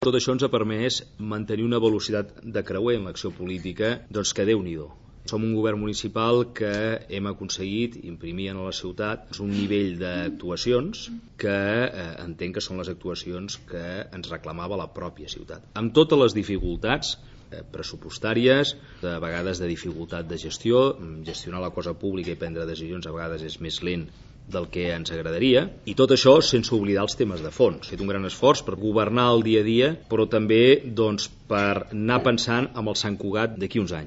Tot això ens ha permès mantenir una velocitat de creuer en l'acció política, doncs que Déu-n'hi-do. Som un govern municipal que hem aconseguit imprimir a la ciutat un nivell d'actuacions que entenc que són les actuacions que ens reclamava la pròpia ciutat. Amb totes les dificultats pressupostàries, a vegades de dificultat de gestió, gestionar la cosa pública i prendre decisions a vegades és més lent del que ens agradaria, i tot això sense oblidar els temes de fons. He fet un gran esforç per governar el dia a dia, però també per anar pensant en el Sant Cugat d'aquí uns anys.